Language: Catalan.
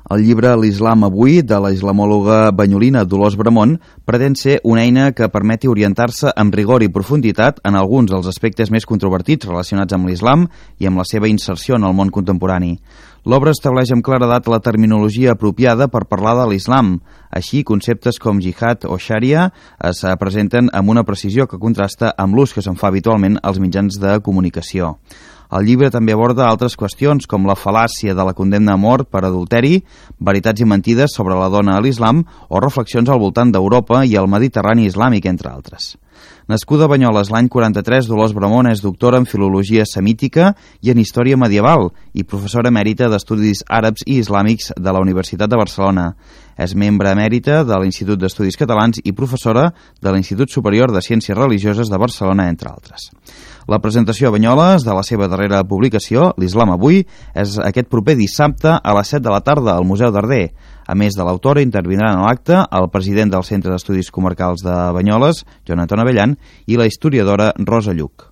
El llibre L'Islam avui, de la islamòloga banyolina Dolors Bramon, pretén ser una eina que permeti orientar-se amb rigor i profunditat en alguns dels aspectes més controvertits relacionats amb l'islam i amb la seva inserció en el món contemporani. L'obra estableix amb claredat la terminologia apropiada per parlar de l'islam. Així, conceptes com jihad o xària es presenten amb una precisió que contrasta amb l'ús que se'n fa habitualment als mitjans de comunicació. El llibre també aborda altres qüestions com la fal·làcia de la condemna a mort per adulteri, veritats i mentides sobre la dona a l'islam o reflexions al voltant d'Europa i el Mediterrani islàmic, entre altres. Nascuda a Banyoles l'any 43, Dolors Bramon és doctora en filologia semítica i en història medieval i professora emèrita d'estudis àrabs i islàmics de la Universitat de Barcelona. És membre emèrita de l'Institut d'Estudis Catalans i professora de l'Institut Superior de Ciències Religioses de Barcelona, entre altres. La presentació a Banyoles de la seva darrera publicació, L'Islam avui, és aquest proper dissabte a les 7 de la tarda al Museu Darder. A més de l'autora, intervindran a l'acte el president del Centre d'Estudis Comarcals de Banyoles, Joan Anton Abellan, i la historiadora Rosa Lluc.